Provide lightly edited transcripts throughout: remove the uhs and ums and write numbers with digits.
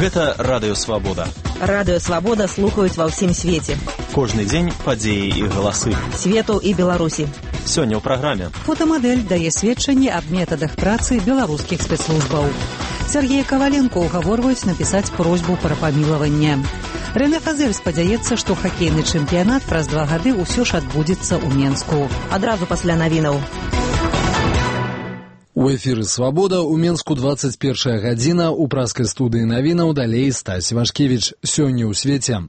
Гэта Радыё Свабода. Радыё Свабода слухаюць ва ўсім свеце. Кожны дзень падзеі і галасы. Свету і Беларусі. Сёння ў праграме. Фотамадэль дае сведчанне аб метадах працы беларускіх спецслужбаў. Сергея Коваленко угаворваюць напісаць просьбу пра памілаванне. Рэне Фазель спадзяецца, што хакейны чэмпіянат праз 2 гады ўсё ж адбудзецца ў Менску. Адразу пасля навінаў. У эфіры «Свабода» у Менску 21 гадзіна, у праскай студыі навінаў далей Стась Вашкевіч. Сёння ў свеце.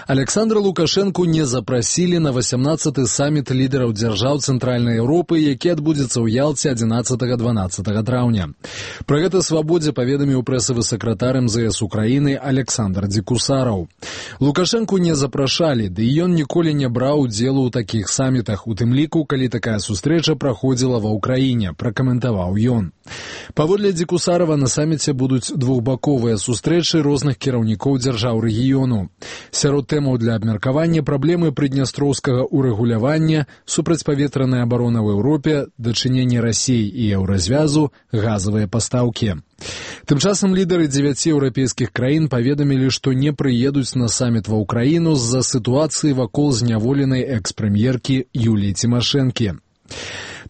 Александра Лукашэнку не запрасілі на 18-й саміт лідараў дзяржаў Цэнтральнай Еўропы, які адбудзецца ў Ялце 11-12 траўня. Пра гэта «Свабодзе» паведаміў прэсавы сакратар МЗС Украіны Александр Дзекусараў. Лукашэнку не запрашалі, ды і ён ніколі не браў удзелу ў такіх самітах, у тым ліку, калі такая сустрэча праходзіла ва Ўкраіне, пракаментаваў ён. Паводле Дзекусарава на саміце будуць двухбаковыя сустрэчы розных кіраўнікоў дзяржаў рэгіёну. Сярод тэмаў для абмеркавання праблемы прыднястроўскага урэгулявання, супрацьпаветраная абарона ў Еўропе, дачыненне Расіі і еўразвязу, газавыя пастаўкі. Тым часам лідары 9 еўрапейскіх краін паведамілі, што не прыедуць на саміт ва Ўкраіну з-за сітуацыі вакол зняволенай экс-прэм'еркі Юліі Цімашэнкі.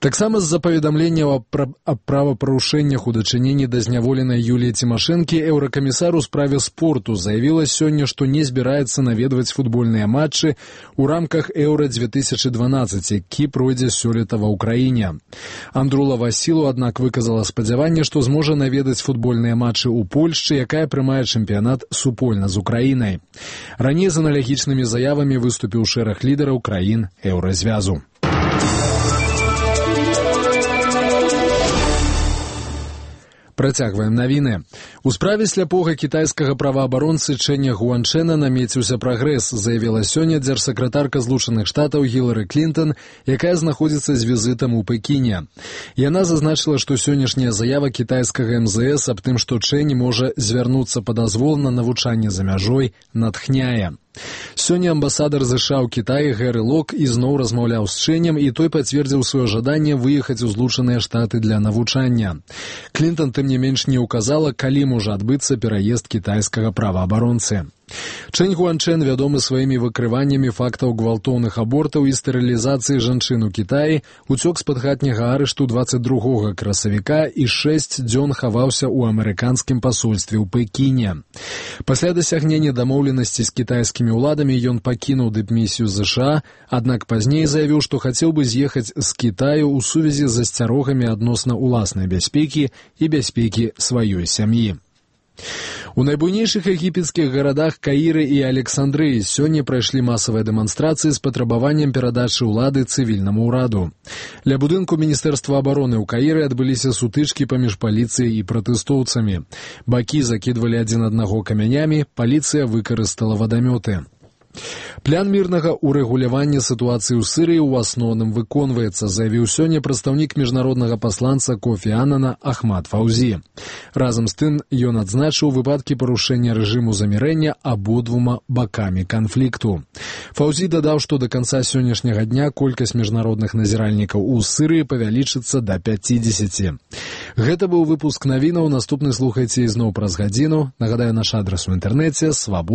Таксама з-за паведамленняў аб правапарушэннях у дачыненні да зняволенай Юліі Цімашэнкі еўракамісар у справе спорту заявіла сёння, што не збіраецца наведваць футбольныя матчы ў рамках Еўра-2012, які пройдзе сёлета ва Ўкраіне. Андрула Васілу, аднак, выказала спадзяванне, што зможа наведаць футбольныя матчы ў Польшчы, якая прымае чэмпіянат супольна з Украінай. Раней з аналагічнымі заявамі выступіў шэраг лідараў краін еўразвязу. Працягваем навіны. У справе сляпога кітайскага праваабаронцы Чэня Гуанчэна намеціўся прагрэс, заявіла сёння дзяржсакратарка Злучаных Штатаў Гілары Клінтон, якая знаходзіцца з візітам у Пекіне. Яна зазначыла, што сённяшняя заява кітайскага МЗС аб тым, што Чэнь можа звярнуцца па дазвол на навучанне за мяжой, натхняе. Сёння амбасадар ЗША ў Кітаі Гэры Лок ізноў размаўляў з Чэнем, і той пацвердзіў сваё жаданне выехаць у Злучаныя Штаты для навучання. Клінтон, тым не менш, не ўказала, калі можа адбыцца пераезд кітайскага праваабаронцы. Чэнь Гуанчэн вядомы сваімі выкрываннямі фактаў гвалтоўных абортаў і стэрылізацыі жанчын у Кітаі, уцёк з-пад хатняга арышту 22 красавіка і 6 дзён хаваўся ў амерыканскім пасольстве ў Пекіне. Пасля дасягнення дамоўленасці з кітайскімі ўладамі ён пакінуў дыпмісію ЗША, аднак пазней заявіў, што хацеў бы з'ехаць з Кітаю ў сувязі з асцярогамі адносна ўласнай бяспекі і бяспекі сваёй сям'і. У найбуйнейшых егіпецкіх гарадах Каіры і Александрыі сёння прайшлі масавыя дэманстрацыі з патрабаваннем перадачы ўлады цывільнаму ўраду. Ля будынку Міністэрства абароны ў Каіры адбыліся сутычкі паміж паліцыяй і пратэстоўцамі. Бакі закідвалі адзін аднаго камянямі, паліцыя выкарыстала вадамёты. План мірнага урэгулявання сітуацыі ў Сірыі ў асноўным выконваецца, заявіў сёння прадстаўнік міжнароднага пасланца Кофі Аннана Ахмад Фаўзі. Разам з тым, ён адзначыў выпадкі парушэння рэжыму замірэння абодвума бакамі канфлікту. Фаўзі дадаў, што да канца сённяшняга дня колькасць міжнародных назіральнікаў у Сірыі павялічыцца да 50. Гэта быў выпуск навінаў, наступны слухайце ізноў праз гадзіну. Нагадаю, наш адрас у інтэрнэце свабода.